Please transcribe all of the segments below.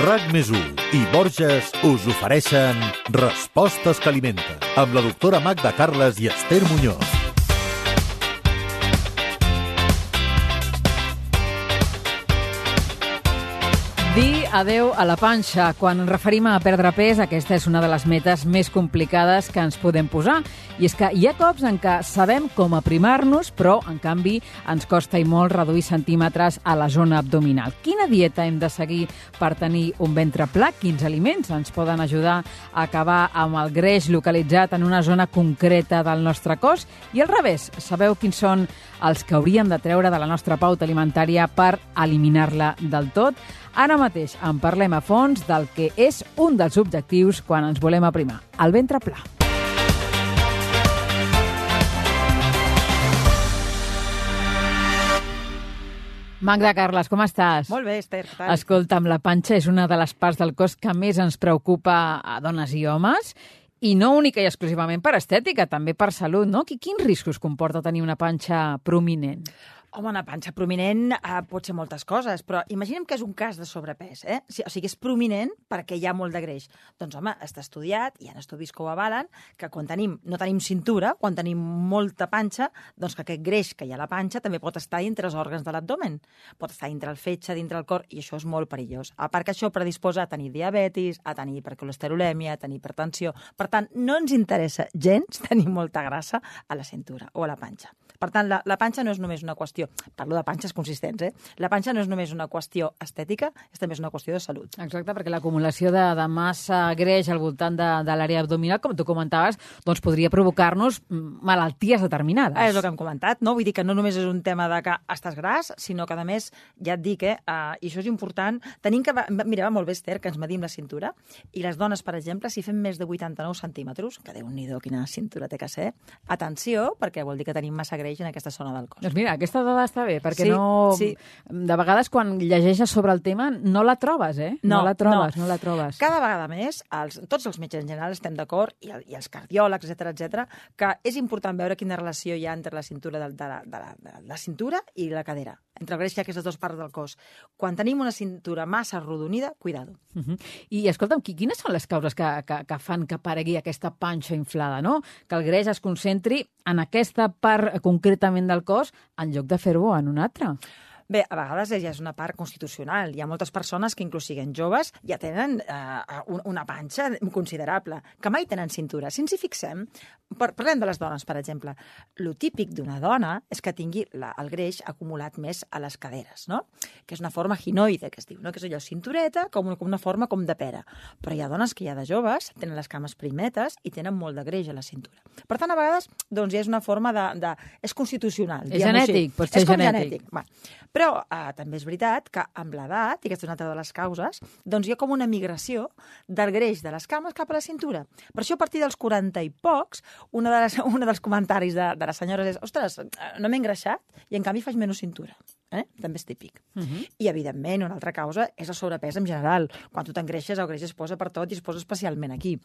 RAC+1 i Borges us ofereixen Respostes que alimenten, amb la doctora Magda Carles i Esther Muñoz. Dir adeu a la panxa. Quan ens referim a perdre pes, aquesta és una de les metes més complicades que ens podem posar. I és que hi ha cops en què sabem com aprimar-nos, però, en canvi, ens costa i molt reduir centímetres a la zona abdominal. Quina dieta hem de seguir per tenir un ventre pla? Quins aliments ens poden ajudar a acabar amb el greix localitzat en una zona concreta del nostre cos? I al revés, sabeu quins són els que hauríem de treure de la nostra pauta alimentària per eliminar-la del tot? Ara mateix en parlem a fons del que és un dels objectius quan ens volem aprimar, el ventre pla. Magda Carles, com estàs? Molt bé, Esther, què tal? Escolta'm, la panxa és una de les parts del cos que més ens preocupa a dones i homes, i no única i exclusivament per estètica, també per salut, no? Quins riscos comporta tenir una panxa prominent? Home, una panxa prominent pot ser moltes coses, però imaginem que és un cas de sobrepès, eh? O sigui, és prominent perquè hi ha molt de greix. Doncs, home, està estudiat, hi ha estudis que ho avalen, que quan no tenim cintura, quan tenim molta panxa, doncs que aquest greix que hi ha a la panxa també pot estar dintre els òrgans de l'abdomen. Pot estar dintre el fetge, dintre el cor, i això és molt perillós. A part que això predisposa a tenir diabetis, a tenir hipercolesterolèmia, a tenir hipertensió. Per tant, no ens interessa gens tenir molta grassa a la cintura o a la panxa. Per tant, la panxa no és només una qüestió, parlo de panxes consistents, La panxa no és només una qüestió estètica, és també una qüestió de salut. Exacte, perquè l'acumulació de massa greix al voltant de l'àrea abdominal, com tu comentaves, doncs podria provocar-nos malalties determinades. És el que hem comentat, no? Vull dir que no només és un tema de que estàs gras, sinó que, a més, ja et dic, i això és important, tenim que... Mira, va molt bé, Esther, que ens medim la cintura, i les dones, per exemple, si fem més de 89 centímetres, que Déu-n'hi-do, quina cintura té que ser, atenció, perquè vol dir que tenim massa greix en aquesta zona del cos. Doncs mira, aquesta dada està bé, perquè sí. De vegades quan llegeixes sobre el tema no la trobes, No la trobes. Cada vegada més, tots els metges en general estem d'acord, i els cardiòlegs, etc, que és important veure quina relació hi ha entre la cintura de la cintura i la cadera, entre el greix que hi ha aquestes dues parts del cos. Quan tenim una cintura massa arrodonida, cuidado. I escolta'm, quines són les causes que fan que aparegui aquesta panxa inflada, no? Que el greix es concentri en aquesta part concretament del cos en lloc de fer-ho en una altra. Bé, a vegades ja és una part constitucional. Hi ha moltes persones que, inclús siguent joves, ja tenen una panxa considerable, que mai tenen cintura. Si ens hi fixem, parlem de les dones, per exemple. Lo típic d'una dona és que tingui el greix acumulat més a les caderes, no? Que és una forma ginoide, que es diu, no? Que és allò cintureta, com una forma com de pera. Però hi ha dones que ja de joves tenen les cames primetes i tenen molt de greix a la cintura. Per tant, a vegades, doncs, ja és una forma és constitucional. És genètic, pot ser genètic. Però també és veritat que amb l'edat, i aquesta és una altra de les causes, doncs hi ha com una migració del greix de les cames cap a la cintura. Per això, a partir dels 40 i pocs, un dels comentaris de les senyores és: ostres, no m'he engreixat i en canvi faig menys cintura. També és típic. I, evidentment, una altra causa és el sobrepès en general. Quan tu t'engreixes, el greix es posa per tot i es posa especialment aquí.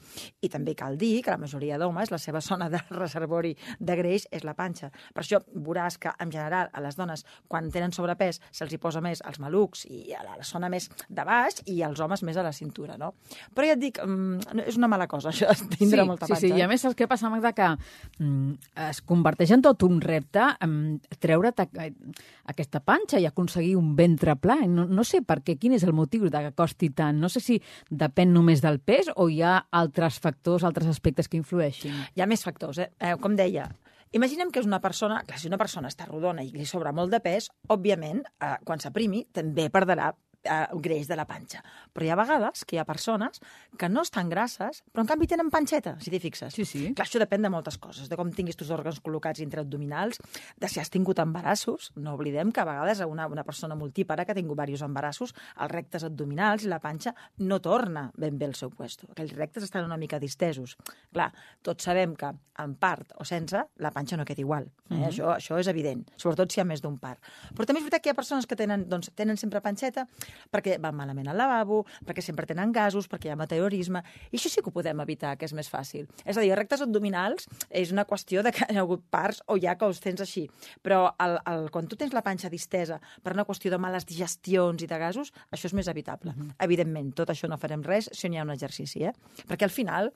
I també cal dir que la majoria d'homes, la seva zona de reservori de greix és la panxa. Per això veuràs que, en general, a les dones, quan tenen sobrepès, se'ls hi posa més als malucs i a la zona més de baix, i als homes més a la cintura, no? Però ja et dic, és una mala cosa, això, tindre molta panxa. Sí, i a més, el que passa, Magda, que es converteix en tot un repte treure't aquesta panxa i aconseguir un ventre pla. No sé per què, quin és el motiu de que costi tant. No sé si depèn només del pes o hi ha altres factors, altres aspectes que influeixin. Hi ha més factors, com deia. Imaginem que és una persona, clar, si una persona està rodona i li sobra molt de pes, òbviament, quan s'aprimi, també perdrà greix de la panxa. Però hi ha vegades que hi ha persones que no estan grasses, però en canvi tenen panxeta, si t'hi fixes. Sí. Clar, això depèn de moltes coses, de com tinguis tus òrgans col·locats intraabdominals, de si has tingut embarassos. No oblidem que a vegades una persona multípara que ha tingut diversos embarassos, els rectes abdominals i la panxa no torna ben bé al seu puesto. Aquells rectes estan una mica distesos. Clar, tots sabem que en part o sense, la panxa no queda igual. Això és evident, sobretot si hi ha més d'un part. Però també és veritat que hi ha persones que tenen sempre panxeta perquè van malament al lavabo, perquè sempre tenen gasos, perquè hi ha meteorisme, i això sí que ho podem evitar, que és més fàcil. És a dir, rectes abdominals és una qüestió de que hi ha hagut parts o ja que els tens així, però quan tu tens la panxa distesa per una qüestió de males digestions i de gasos, això és més evitable. Evidentment, tot això no farem res si no hi ha un exercici, perquè al final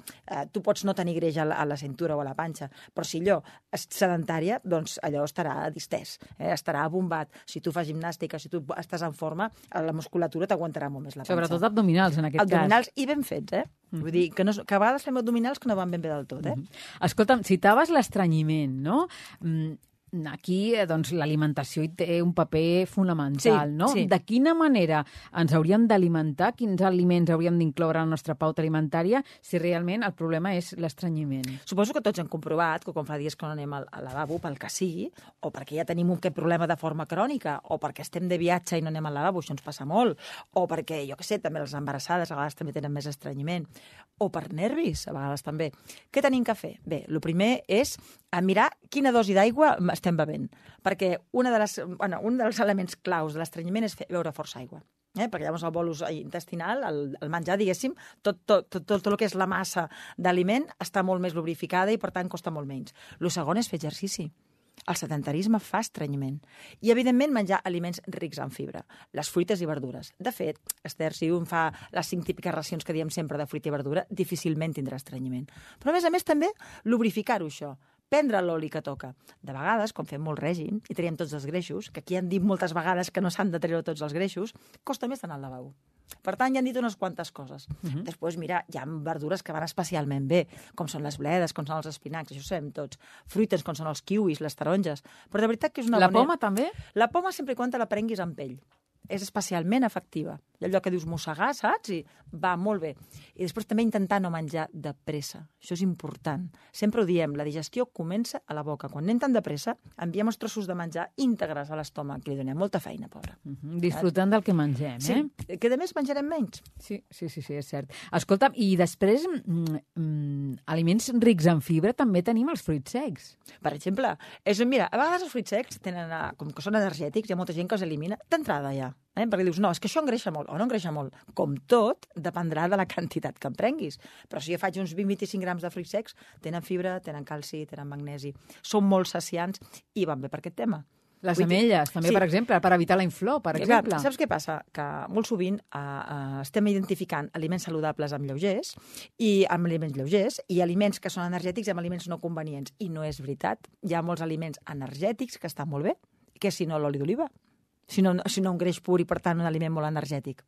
tu pots no tenir greix a la cintura o a la panxa, però si allò és sedentària, doncs allò estarà distès, estarà bombat. Si tu fas gimnàstica, si tu estàs en forma, la musculatura t'aguantarà molt més la panxa. Sobretot abdominals, en aquest cas. Abdominals i ben fets, Vull dir, que a vegades fem abdominals que no van ben bé del tot, Escolta'm, citaves l'estrenyiment, no? Aquí, doncs, l'alimentació hi té un paper fonamental, no? Sí. De quina manera ens hauríem d'alimentar, quins aliments hauríem d'incloure a la nostra pauta alimentària si realment el problema és l'estrenyiment? Suposo que tots hem comprovat que quan fa dies que no anem al lavabo, pel que sigui, o perquè ja tenim aquest problema de forma crònica, o perquè estem de viatge i no anem al lavabo, això ens passa molt, o perquè, jo què sé, també les embarassades a vegades també tenen més estrenyiment, o per nervis, a vegades també. Què tenim que fer? Bé, el primer és mirar quina dosi d'aigua estem bevent, perquè un dels elements claus de l'estrenyiment és beure força aigua. Perquè llavors el bolus intestinal, el menjar, diguéssim, tot el que és la massa d'aliment està molt més lubrificada i, per tant, costa molt menys. El segon és fer exercici. El sedentarisme fa estrenyiment. I, evidentment, menjar aliments rics en fibra, les fruites i verdures. De fet, Esther, si un fa les 5 típiques racions que diem sempre de fruita i verdura, difícilment tindrà estrenyiment. Però, a més, també, lubrificar-ho, això. Prendre l'oli que toca. De vegades, quan fem molt règim i traiem tots els greixos, que aquí han dit moltes vegades que no s'han de treure tots els greixos, costa més anar al lavabo. Per tant, ja han dit unes quantes coses. Després, mira, hi ha verdures que van especialment bé, com són les bledes, com són els espinacs, això ho sabem tots. Fruites, com són els kiwis, les taronges. Però de veritat que és una La poma, també? La poma, sempre i quan te la prenguis amb pell. És especialment efectiva. I allò que dius mossegar, saps? I va molt bé. I després també intentar no menjar de pressa. Això és important. Sempre ho diem, la digestió comença a la boca. Quan anem tan de pressa, enviem els trossos de menjar íntegres a l'estómac. Li donem molta feina, pobra. Disfrutant del que mengem, Sí, que a més menjarem menys. Sí, és cert. Escolta'm, i després, aliments rics en fibra, també tenim els fruits secs. Per exemple, mira, a vegades els fruits secs tenen, com que són energètics, hi ha molta gent que els elimina d'entrada ja. Perquè dius, no, és que això engreixa molt, o no engreixa molt. Com tot, dependrà de la quantitat que en prenguis. Però si jo faig uns 20-25 grams de fruits secs, tenen fibra, tenen calci, tenen magnesi, són molt saciants i van bé per aquest tema. Les ametlles, també, per exemple, per evitar la inflor, per exemple. Saps què passa? Que molt sovint estem identificant aliments saludables amb lleugers i amb aliments lleugers i aliments que són energètics amb aliments no convenients. I no és veritat. Hi ha molts aliments energètics que estan molt bé, que si no l'oli d'oliva. Si no un greix pur i, per tant, un aliment molt energètic.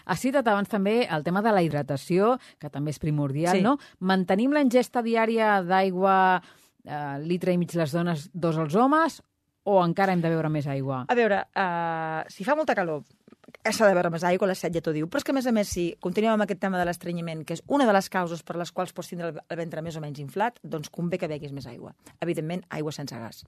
Has citat abans també el tema de la hidratació, que també és primordial, no? Mantenim la ingesta diària d'aigua, litre i mig les dones, 2 els homes, o encara hem de beure més aigua? A veure, si fa molta calor, s'ha de beure més aigua, la set ja t'ho diu, però és que, a més, si continuem amb aquest tema de l'estrenyiment, que és una de les causes per les quals pots tindre el ventre més o menys inflat, doncs convé que beguis més aigua. Evidentment, aigua sense gas.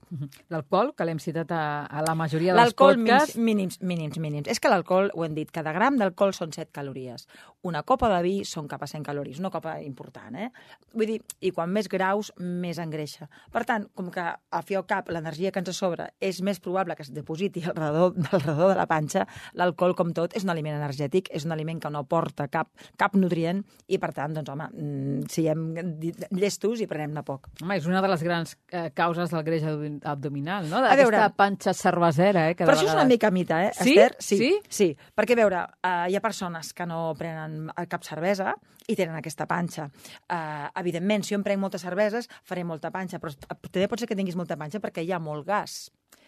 L'alcohol, que l'hem citat a la majoria dels podcasts. L'alcohol mínims. És que l'alcohol, ho hem dit, cada gram d'alcohol són 7 calories. Una copa de vi són cap a 100 calories, una copa important, Vull dir, i quan més graus, més engreixa. Per tant, com que al fi i al cap l'energia que ens sobra és més probable que es depositi al redor de la panxa, l'alcohol, com tot, és un aliment energètic, és un aliment que no aporta cap nutrient i, per tant, doncs, home, siguem llestos i prenem-ne poc. Home, és una de les grans causes del greix abdominal, no? D'aquesta panxa cervesera, Però això és una mica mita, Sí? Esther? Sí. Perquè, a veure, hi ha persones que no prenen cap cervesa i tenen aquesta panxa. Evidentment, si jo em prenc moltes cerveses, faré molta panxa, però també pot ser que tinguis molta panxa perquè hi ha molt gas.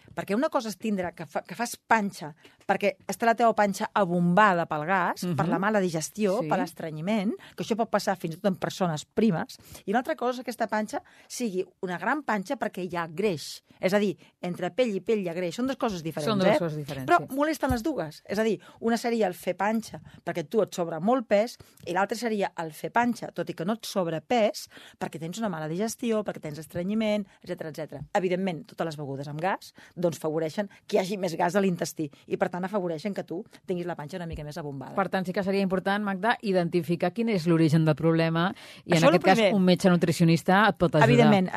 Perquè una cosa és tindre que fas panxa perquè està la teva panxa abombada pel gas, per la mala digestió, per l'estrenyiment, que això pot passar fins i tot en persones primes, i una altra cosa és que aquesta panxa sigui una gran panxa perquè hi ha greix. És a dir, entre pell i pell hi ha greix. Són dues coses diferents, Són dues coses diferents, però molesten les dues. És a dir, una seria el fer panxa perquè tu et sobra molt pes i l'altra seria el fer panxa, tot i que no et sobra pes, perquè tens una mala digestió, perquè tens estrenyiment, etc. Evidentment, totes les begudes amb gas, doncs afavoreixen que hi hagi més gas a l'intestí i, per tant, afavoreixen que tu tinguis la panxa una mica més abombada. Per tant, sí que seria important, Magda, identificar quin és l'origen del problema i, Això en aquest cas, un metge nutricionista et pot ajudar.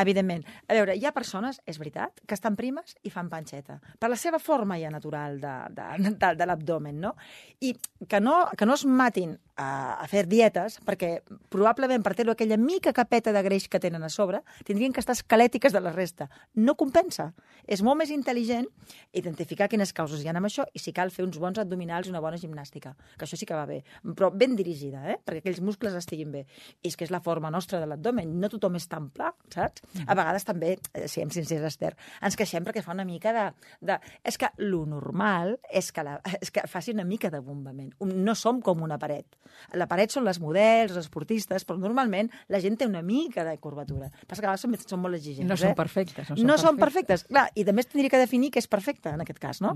Evidentment. A veure, hi ha persones, és veritat, que estan primes i fan panxeta. Per la seva forma ja natural de l'abdomen, no? I que no es matin a fer dietes, perquè probablement per tenir aquella mica capeta de greix que tenen a sobre, tindrien que estar esquelètiques de la resta. No compensa. És molt més intel·ligent identificar quines causes hi ha amb això i, si cal, fer uns bons abdominals i una bona gimnàstica, que això sí que va bé, però ben dirigida, perquè aquells muscles estiguin bé. I és que és la forma nostra de l'abdomen, no tothom és tan pla, saps? A vegades també, siguem sincers, Esther, ens queixem perquè fa una mica de... És que lo normal és que faci una mica de bombament. No som com una paret. La paret són les models, els esportistes, però normalment la gent té una mica de curvatura. Passa que a vegades són molt exigents. No són perfectes. No són perfectes. Clar, i també tindria que definir què és perfecte, en aquest cas, no?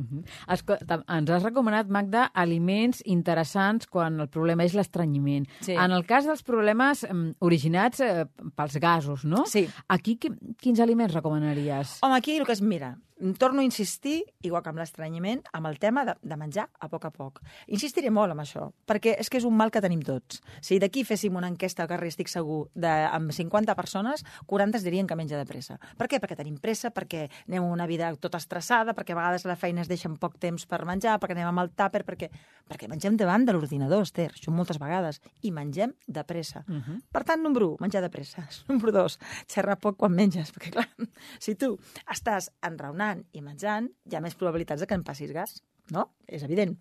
Ens has recomanat, Magda, aliments interessants quan el problema és l'estrenyiment. Sí. En el cas dels problemes originats pels gasos, no? Sí. Aquí quins aliments recomanaries? Home, aquí el que es mira, torno a insistir, igual que amb l'estrenyiment, amb el tema de menjar a poc. Insistiré molt amb això, perquè és que és un mal que tenim tots. Si d'aquí féssim una enquesta al carrer, estic segur, amb 50 persones, 40 es dirien que menja de pressa. Per què? Perquè tenim pressa, perquè anem a una vida tota estressada, perquè a vegades a la feina es deixen poc temps per menjar, perquè anem amb el tàper, perquè mengem davant de l'ordinador, Esther, això moltes vegades, i mengem de pressa. Per tant, número 1, menjar de pressa. Número 2, xerrar poc quan menges, perquè clar, si tu estàs enraonant i menjant, hi ha més probabilitats de que en passis gas, no? És evident.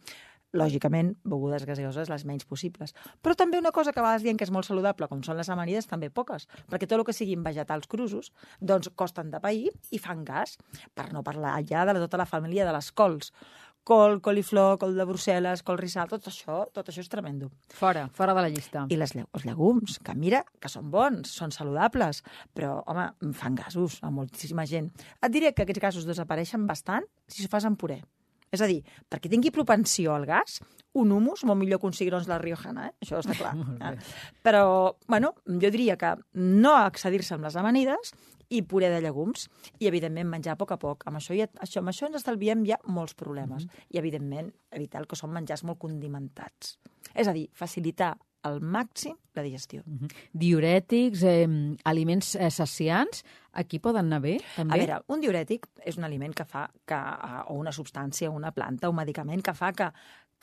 Lògicament, begudes gaseoses les menys possibles. Però també una cosa que a vegades diem que és molt saludable, com són les amanides, també poques, perquè tot el que siguin vegetals crusos, doncs costen de pair i fan gas, per no parlar ja de tota la família de les cols. Col, coliflor, col de Brussel·les, col rissal, tot això és tremendo. Fora de la llista. I els llegums, que mira, que són bons, són saludables, però, home, fan gasos a moltíssima gent. Et diré que aquests gasos desapareixen bastant si s'ho fas en puré. És a dir, perquè tingui propensió al gas, un humus, molt millor que un cigrons la Riojana, això està clar. Però, bueno, jo diria que no excedir-se amb les amanides i puré de llegums, i, evidentment, menjar a poc. Amb això ens estalviem ja molts problemes. I, evidentment, evitar el que són menjars molt condimentats. És a dir, facilitar al màxim la digestió. Diurètics, aliments saciants, aquí poden anar bé, també? A veure, un diurètic és un aliment que fa o una substància, una planta, un medicament que fa que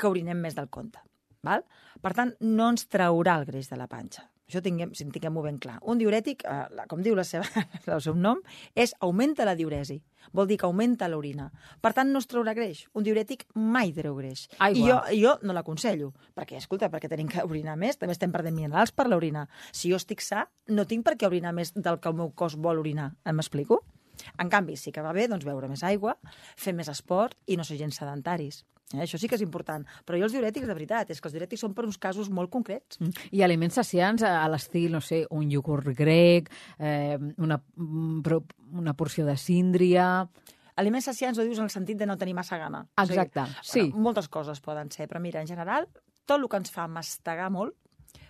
orinem més del compte. Val? Per tant, no ens traurà el greix de la panxa. Això tinguem-ho ben clar. Un diurètic, com diu el seu nom, augmenta la diuresi. Vol dir que augmenta l'orina. Per tant, no es traurà greix. Un diurètic mai treu greix. Aigua. I jo no l'aconsello. Perquè, escolta, perquè tenim que orinar més, també estem perdent minerals per l'orina. Si jo estic sa, no tinc per què orinar més del que el meu cos vol orinar. M'explico? En canvi, sí que va bé beure més aigua, fer més esport i no ser gens sedentaris. Això sí que és important. Però jo els diurètics, de veritat, és que els diurètics són per uns casos molt concrets. I aliments saciants a l'estil, no sé, un iogurt grec, una porció de síndria... Aliments saciants ho dius en el sentit de no tenir massa gana. Exacte, sí. Moltes coses poden ser, però mira, en general, tot el que ens fa mastegar molt,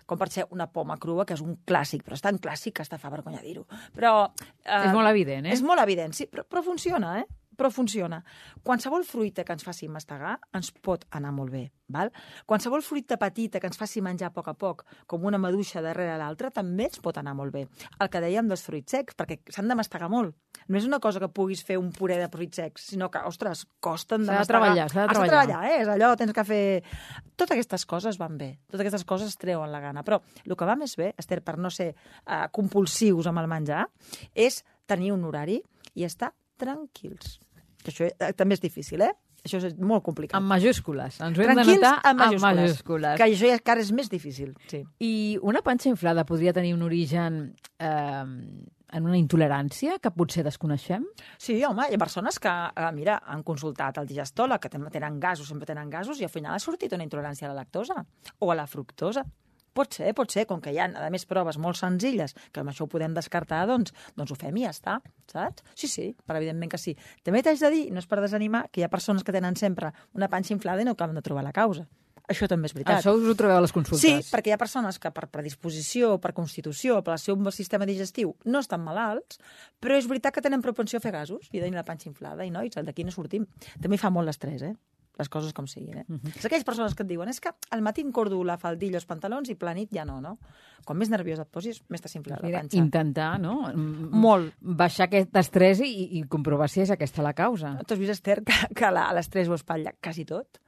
com per ser una poma crua, que és un clàssic, però és tan clàssic que està fa vergonya dir-ho. Però... és molt evident, És molt evident, sí, però funciona, Però funciona. Qualsevol fruita que ens faci mastegar ens pot anar molt bé. Val? Qualsevol fruita petita que ens faci menjar a poc, com una maduixa darrere l'altra, també ens pot anar molt bé. El que dèiem dels fruits secs, perquè s'han de mastegar molt. No és una cosa que puguis fer un puré de fruits secs, sinó que, ostres, costen de mastegar. S'ha de treballar. És allò, tens que fer... Totes aquestes coses van bé. Totes aquestes coses treuen la gana. Però el que va més bé, Esther, per no ser compulsius amb el menjar, és tenir un horari i estar tranquils. Això també és difícil, Això és molt complicat. En majúscules. Ens ho hem de notar en majúscules. Que això encara és més difícil, sí. I una panxa inflada podria tenir un origen en una intolerància que potser desconeixem? Sí, home, hi ha persones que, mira, han consultat el digestòleg, que tenen gasos, sempre tenen gasos, i al final ha sortit una intolerància a la lactosa o a la fructosa. Pot ser, com que hi ha, a més, proves molt senzilles, que amb això ho podem descartar, doncs ho fem i ja està, saps? Sí, però evidentment que sí. També t'haig de dir, no és per desanimar, que hi ha persones que tenen sempre una panxa inflada i no acaben de trobar la causa. això també és veritat. Això us ho trobeu a les consultes? Sí, perquè hi ha persones que per predisposició, per constitució, per el seu sistema digestiu no estan malalts, però és veritat que tenen propensió a fer gasos i a tenir la panxa inflada. I nois, d'aquí no sortim. També fa molt l'estrès, les coses com siguin. És aquelles persones que et diuen és que al matí encordo la faldilla, els pantalons i planit ja no. Quan més nerviós et posis, més t'infla la panxa. Intentar, no? Molt. Baixar aquest estrès i comprovar si és aquesta la causa. Tu has vist, Esther, que l'estrès ho espatlla quasi tot?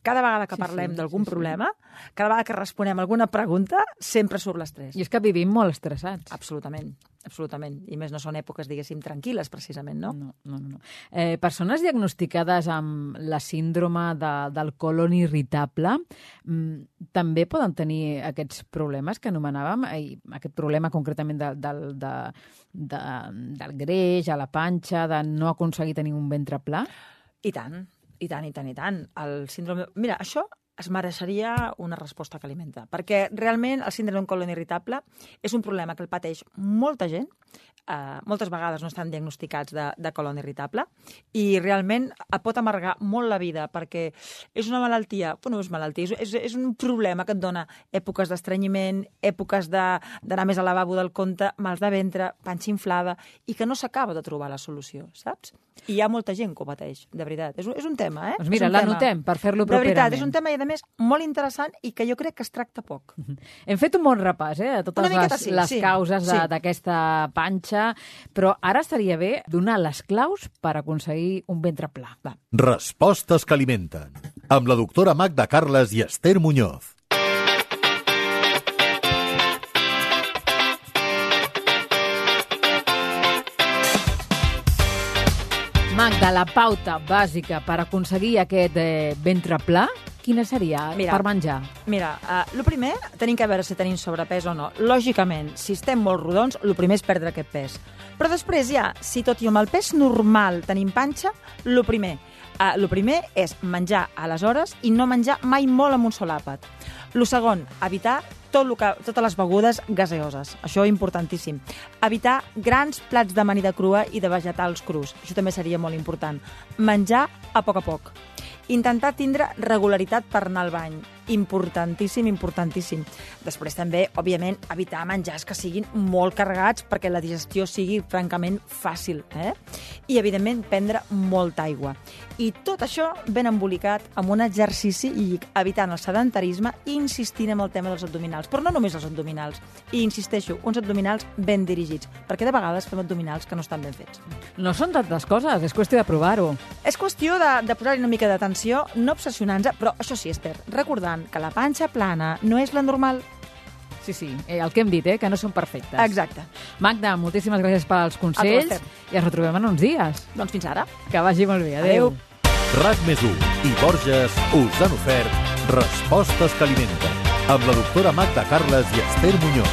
Cada vegada que parlem d'algun problema, cada vegada que responem alguna pregunta, sempre surt l'estrès. I és que vivim molt estressats. Absolutament. I més no són èpoques, diguéssim, tranquil·les, precisament, no? No. Persones diagnosticades amb la síndrome del colon irritable també poden tenir aquests problemes que anomenàvem, aquest problema concretament del greix, a la panxa, de no aconseguir tenir un ventre pla? I tant. El síndrome... Mira, això es mereixeria una resposta que alimenta, perquè realment el síndrome d'un colon irritable és un problema que el pateix molta gent, moltes vegades no estan diagnosticats de colon irritable, i realment pot amargar molt la vida, perquè és una malaltia, és un problema que et dona èpoques d'estrenyiment, èpoques d'anar més al lavabo del compte, mals de ventre, panxa inflada, i que no s'acaba de trobar la solució, saps? I hi ha molta gent que ho pateix, de veritat. És un tema, Doncs mira, l'anotem per fer-lo properament. De veritat, és un tema, i a més, molt interessant i que jo crec que es tracta poc. Hem fet un bon repàs, a totes les causes d'aquesta panxa, però ara estaria bé donar les claus per aconseguir un ventre pla. Va. Respostes que alimenten. Amb la doctora Magda Carles i Esther Muñoz. Magda, la pauta bàsica per aconseguir aquest ventre pla, quina seria per menjar? Mira, el primer, tenim que veure si tenim sobrepès o no. Lògicament, si estem molt rodons, el primer és perdre aquest pes. Però després ja, si tot i amb el pes normal tenim panxa, el primer és menjar a les hores i no menjar mai molt amb un sol àpat. El segon, evitar totes les begudes gaseoses. Això és importantíssim. Evitar grans plats d'amanida crua i de vegetals crus. Això també seria molt important. Menjar a poc. Intentar tindre regularitat per anar al bany. Importantíssim. Després també, òbviament, evitar menjars que siguin molt carregats perquè la digestió sigui francament fàcil. I, evidentment, prendre molta aigua. I tot això ben embolicat amb un exercici i evitant el sedentarisme i insistint en el tema dels abdominals. Però no només els abdominals. I insisteixo, uns abdominals ben dirigits, perquè de vegades fem abdominals que no estan ben fets. No són tantes coses, és qüestió de provar-ho. És qüestió de posar-hi una mica d'atenció, no obsessionar-nos, però això sí, Esther, recordant que la panxa plana no és la normal. Sí, el que hem dit, que no són perfectes. Exacte. Magda, moltíssimes gràcies pels consells i ens retrobem en uns dies. Doncs fins ara. Que vagi molt bé. Adéu. RAC+1 i Borges us han ofert Respostes que alimenten, amb la doctora Magda Carles i Esther Muñoz.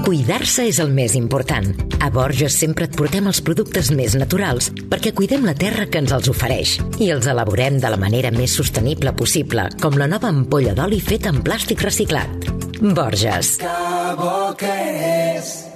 Cuidar-se és el més important. A Borges sempre et portem els productes més naturals perquè cuidem la terra que ens els ofereix i els elaborem de la manera més sostenible possible, com la nova ampolla d'oli feta en plàstic reciclat. Borges. Que bo que és!